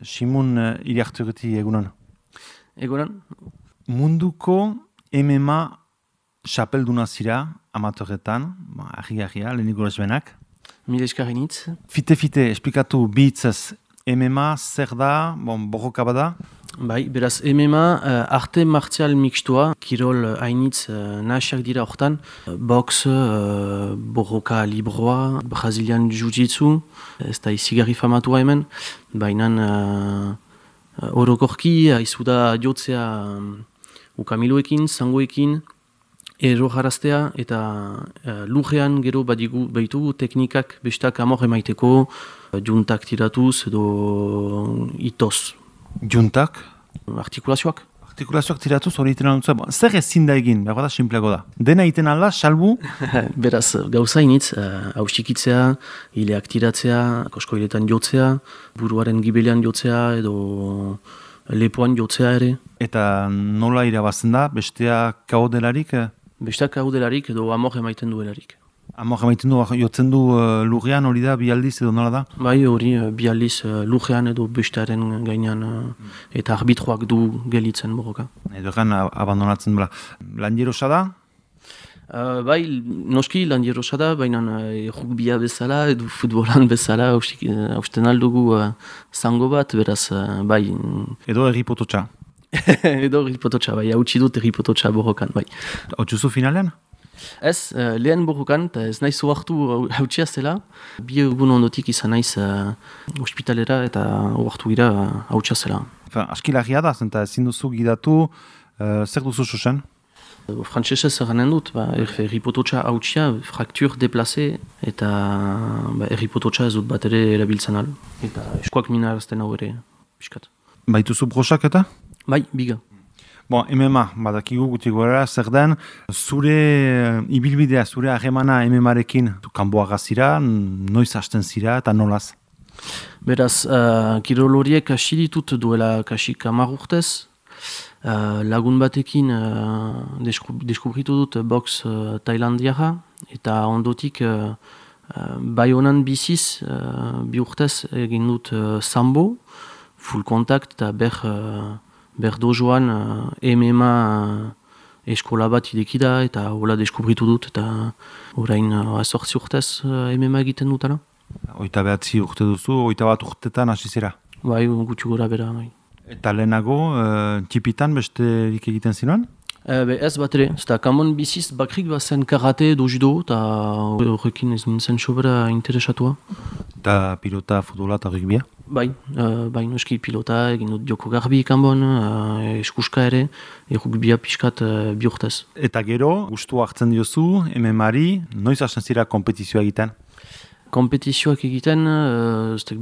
Simun Iriarturti egunon. Egoran? Munduko MMA xapelduna zira, amatorretan, ahi-ahia, leheniko lesbenak. Mila eskarinitz. Fite, esplikatu bihitzaz, MMA zer da, borroka bada? Bai, beraz MMA arte martzial mixtua, kirol hainitz nahasiak dira hortan. Box, borroka libroa, Brazilian Jiu-Jitsu, ez da izigarri famatua hemen, baina orokorki haizu da jotzea ukamiloekin, zangoekin, errojaraztea eta lurrean gero baditu teknikak bestak amor emaiteko, juntak tiratuz edo itoz. Juntak? Artikulazioak. Artikulazioak tiratuz hori iten aldutzen. Zer ezin da egin, behar da, simpleago da. Dena iten alda, salbu? Beraz, gauza initz, hausikitzea, hileak tiratzea, koskoiletan jotzea, buruaren gibelean jotzea edo lepoan jotzea ere. Eta nola irabazten da, bestea kao delarik? Bestea kao delarik edo amor emaiten duelarik. Amor emaiten du, jotzen du lurrean hori da, bi aldiz edo nola da? Bai, hori bi aldiz lurrean edo bestearen gainean eta arbitroak du gelitzen borroka. Edo egan abandonatzen bela. Landierosa da? Bai, noski landierosa da, baina rugbia bezala edo futbolan bezala hausten aldugu zango bat, beraz, bai. Edo erripototxa? Edo erripototxa, bai, hautsi dut erripototxa borrokan, bai. Hautsuzu finalean? Ez, lehen borrokan, eta ez naiz oartu hautsia zela. Bi egun ondotik izan naiz ospitalera eta oartu gira hautsia zela. Askilagia da, zenta ezin duzu gidatu, zer duzu susen? Frantsesez eranen dut, erripototxa hautsia, fraktur deplaze eta erripototxa ez dut bat ere erabiltzen al. Eta eskoak minarazten hau ere, piskat. Baituzu brosak eta? Bai, biga. MMA, badakigu gutik gorera, zer den, zure ibilbidea, zure harremana MMA-rekin kanboa gazira, noiz hasten zira eta nolaz? Beraz, kirol horiek hasi ditut duela kasik 10 urtez. Lagun batekin deskubritu dut box tailandiara, eta ondotik Baionan biziz, 2 urtez egin dut sambo, full contact eta berdojoan MMA eskola bat idekida eta hola deskubritu dut eta orain 8 urtez MMA egiten dutana. 29 urte duzu, 21 urtetan hasi zera? Bai, gutxi gora bera. Bai. Eta lehenago, txipitan besterik egiten zinuan? Ez bat ere, eta kamon biziz bakrik bazen karate edo judo eta horrekin ez nintzen sobera interesatua. Eta pilota, futbola eta rugbia? Bai, noski pilota, egin dut joko garbi kanbon, eskuska ere, rugbia pixkat 2 urtez. Eta gero, gustu hartzen diozu, MMA-ari, noiz hasten zira kompetizioa egiten? Kompetizioak egiten,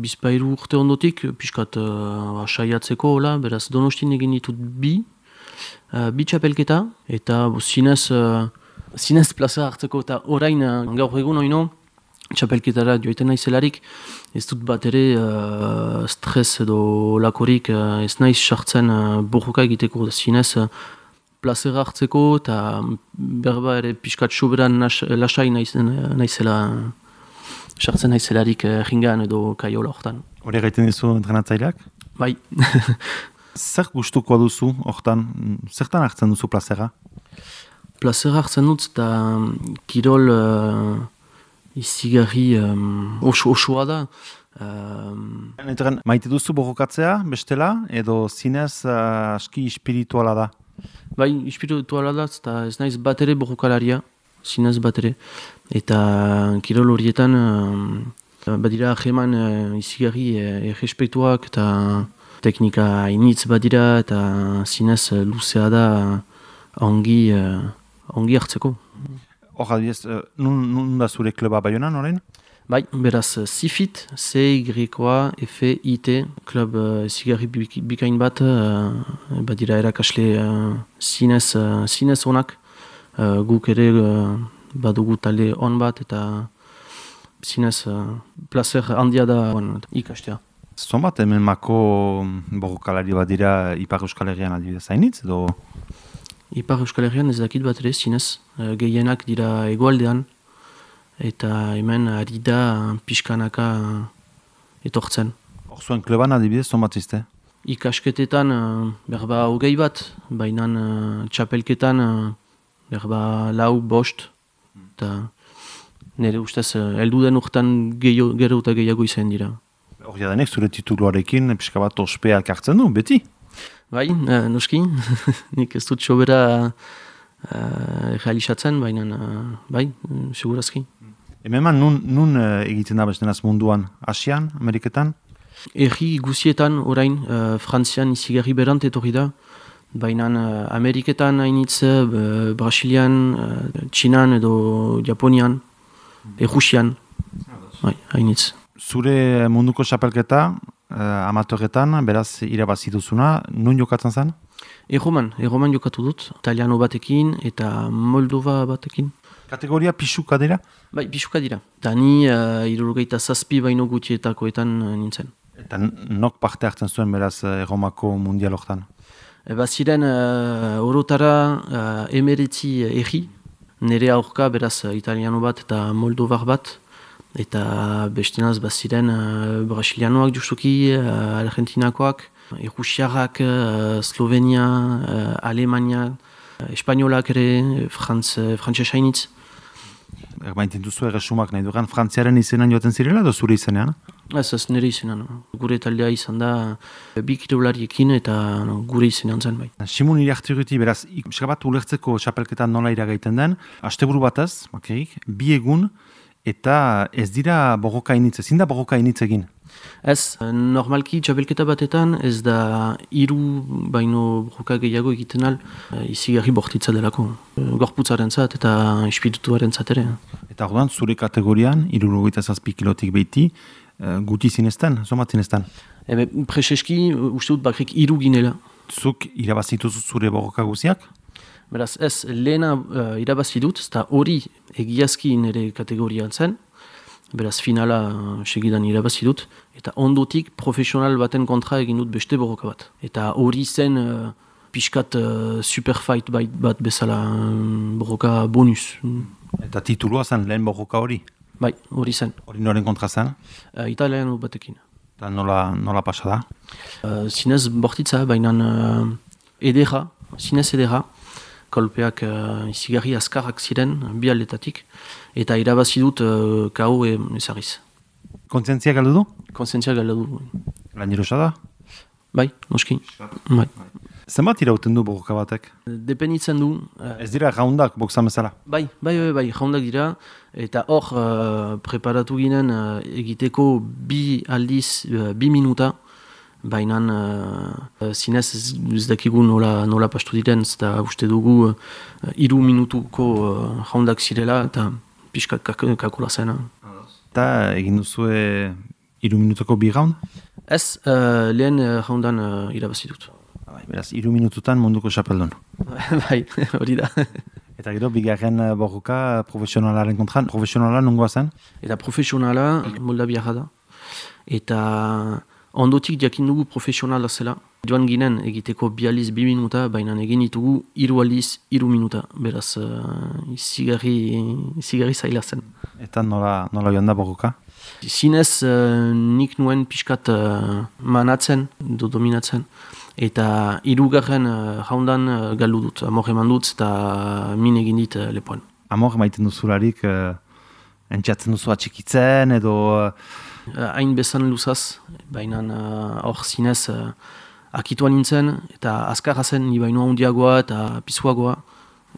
bizpairu urte ondotik, pixkat saiatzeko, beraz Donostin egin ditut bi txapelketa, eta zinez plaza hartzeko, eta orain gaur egun oino, txapelketara joiten naizelarik, ez dut bat ere stres edo lakorik ez naiz sartzen borroka egiteko, zinez plazera hartzeko, eta berba ere pixkat soberan lasai naizela, sartzen naizelarik ringan edo kaiola hortan. Hori gaiten dizu entrenatzaileak? Bai. Zer gustuko duzu hortan? Zertan hartzen duzu plazera? Plazera hartzen dut eta kirol izigarri osoa da. Maite duzu borrokatzea, bestela, edo zinez aski espirituala da? Bai, espirituala da, eta ez naiz bat ere borrokalaria, zinez bat ere. Eta kirol horietan badira jeman izigarri errespektuak eta teknika hainitz badira eta zinez luzea da ongi hartzeko. Hor adibidez, nun da zure kluba Baionan orain? Bai, beraz CIFIT, CYFIT, klub zigarri bikain bat, badira erakasle zinez onak, guk ere badugu talde on bat eta zinez placer handia da ikastea. Zonbat MMA-ko borrokalari bat dira Ipar Euskal Herrian adibidez hainitz edo? Ipar Euskal Herrian ez dakit bat ere zinez, gehienak dira hegoaldean eta hemen ari da pixkanaka etortzen. Zuen kleban adibidez, zonbat izte? Ikasketetan berba 20 bat, baina txapelketan berba 4, 5, eta nire ustez heldu den urtean gero eta gehiago izan dira. Hor jadenek zure tituluarekin pixka bat ospeak hartzen du, beti? Bai, noski, nik ez dut sobera realizatzen, baina bai, segurazki. Hemen nun egiten da bestenaz munduan? Asian, Ameriketan? Erri guzietan orain, Frantzian izigarri berant etorri da, baina Ameriketan hainitz, Brasilian, Txinan edo Japonian, Rusian, bai, hainitz. Zure munduko xapelketa, amatorretan, beraz irabazi duzuna, nun jokatzen zen? Erroman jokatu dut, italiano batekin eta Moldova batekin. Kategoria pixuka dira? Bai, pixuka dira. Eta ni 67 baino gutietakoetan nintzen. Eta nok parte hartzen zuen beraz Erromako mundial hortan? Baziren orotara 19 erri, nire aurka beraz italiano bat eta moldovar bat, eta bestinaz baziren brasilianoak justuki, argentinakoak, Rusiarrak, Slovenia, Alemania, Espainolak ere, frantzesa hainitz. Erbainten duzu erresumak nahi dugan, Frantziaren izenan joaten zirela edo zure izenean? Ez nire izenan. Gure taldea izan da bi kirolariekin eta gure izenean zen bai. Simon Iriarturruti, beraz, bat ulertzeko txapelketan nola iragaiten den, asteburu batez, bi egun, eta ez dira borroka initz, ezin da borroka initz egin? Ez, normalki txapelketa batetan ez da 3 baino borroka gehiago egiten al, izigarri bortitza delako. Gorputzaren zat eta espirituaren zat ere. Eta orduan, zure kategorian, 67 kilotik behiti, guti zinezten, zomat zinezten? Prezeski, uste dut bakrik 3 ginela. Zuk irabazituzu zure borroka guziak? Beraz, ez, lehena irabazi dut, eta hori egiazki nire kategorian zen, beraz, finala segidan irabazi dut, eta ondotik profesional baten kontra egin dut beste borroka bat. Eta hori zen pixkat superfight bat bezala borroka bonus. Eta titulua zen lehen borroka hori? Bai, hori zen. Hori noren kontra zen? Italiano batekin. Eta nola pasa da? Zinez bortitza, baina edera, zinez edera, kolpeak izigarri azkarrak ziren, bi aldetatik, eta irabazi dut KO ezarriz. Kontzientzia galdu du? Kontzientzia galdu du. Lan jirosa da? Bai, noski. Bai. Zenbat irauten du borroka batek? Depenitzen du. Ez dira raundak, boksan bezala? Bai, raundak dira, eta hor preparatu ginen egiteko 2 aldiz, 2 minuta, baina zinez ez dakigu nola pastu diren, eta uste dugu 3 minutuko raundak zirela, eta pixkat kakula zena. Eta egin duzue 3 minutuko 2 raund? Ez, lehen raundan irabazi dut. Beraz, 3 minututan munduko xapeldun. Bai, hori da. Eta gero, bigarren borroka profesionalaren kontran, profesionala nungoa zen? Eta profesionala Moldaviara da. Eta ondotik jakin dugu profesionala zela. Joan ginen egiteko 2 aldiz 2 minuta, baina egin ditugu 3 aldiz 3 minuta. Beraz, izigarri zaila zen. Eta nola joan da borroka? Zinez nik nuen pixkat manatzen, dominatzen. Eta 3. jaundan galdu dut, amor eman dut eta min egin dit lepoan. Amor emaiten duzularik, entxatzen duzu atxikitzen edo... Hain bezan luzaz, baina hor zinez akituan nintzen, eta azkarra zen, ni baino handiagoa eta pisuagoa,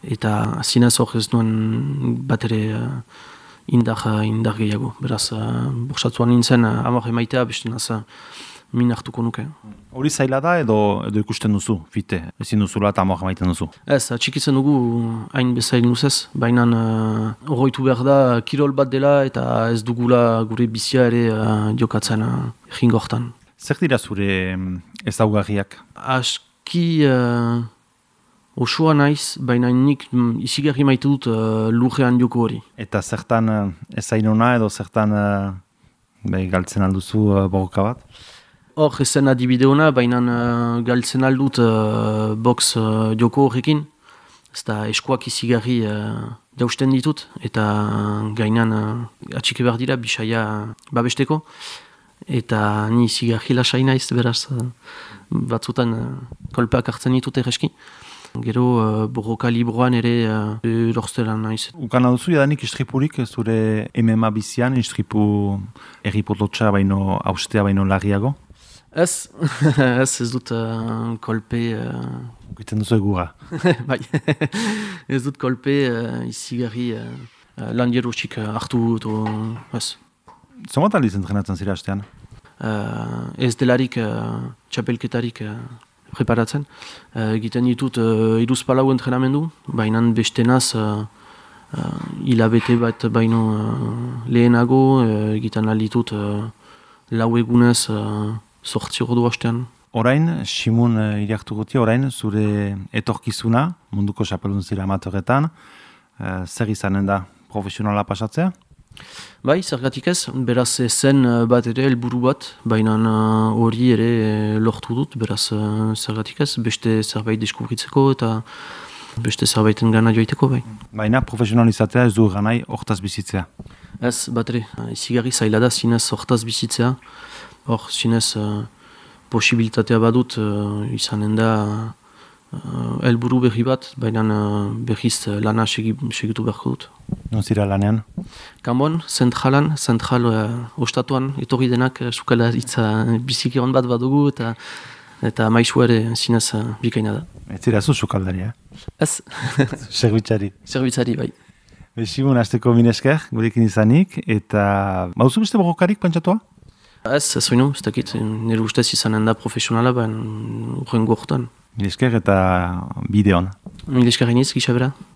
eta zinez hor ez nuen bat ere indar gehiago. Beraz, borsatuan nintzen, amor emaitea beste naz min hartuko nuke. Hori zaila da edo ikusten duzu, fite, ezin duzula eta amor emaiten duzu? Ez, atxikitzen dugu hain bezain luzez, baina horroitu behar da kirol bat dela eta ez dugula gure bizia ere jokatzen jingortan. Zer dira zure ezaugarriak? Aski osoa naiz, baina nik izigarri maite dut lurrean joko hori. Eta zertan ezainona edo zertan galtzen alduzu borroka bat? Hor ezen adibide hona, baina galtzen aldut box joko horrekin. Ez da eskuak izigarri jausten ditut, eta gainan atxike behar dira bisaia babesteko. eta ni zigarri lasai naiz, beraz, batzutan kolpeak hartzen ditut egeski. Gero borroka libroan ere lortzeran naiz. Ukana duzu, jadanik istripurik zure MMA bizian, istripu erripototxa baino, austea baino larriago? Ez, ez dut kolpe... Giten duzu egura. Bai, ez dut kolpe izigarri lan jerusik hartu dut, ez. Zomat aldiz entrenatzen zira hastean? Ez delarik txapelketarik preparatzen. Egiten ditut iruzpalau entrenamendu, baina bestenaz hilabete bat baino lehenago egiten alditut lau egunez 8 ordu hastean. Orain, Simun iriaktu guti, orain, zure etorkizuna, munduko txapeldun zira amatöretan, zer izanen da profesionala pasatzea? Bai, zergatik ez, beraz zen bat ere helburu bat, baina hori ere lortu dut, beraz zergatik ez, beste zerbait deskubritzeko eta beste zerbaiten gana joiteko bai. Baina profesionalizatzea ez du ganai hortaz bizitzea? Ez, bat ere, izigarri zaila da zinez hortaz bizitzea, hor zinez posibilitatea badut izanen da helburu berri bat, baina berriz lana segitu beharko dut. Non zira lanean? Kanbon, zentral ostatuan, etorri denak sukalaritza biziki hon bat badugu eta maizu ere zinez bikaina da. Ez zira zu sukaldaria? Ez. Zerbitzari? Zerbitzari, bai. Simun, azteko minesker, gurekin izanik, eta bauzu beste borrokarik pentsatua? Ez oinu, ez dakit, nire ustez izanen da profesionala, baina urrengo horretan. Minesker eta bideon. Minesker iniz, gisa bera.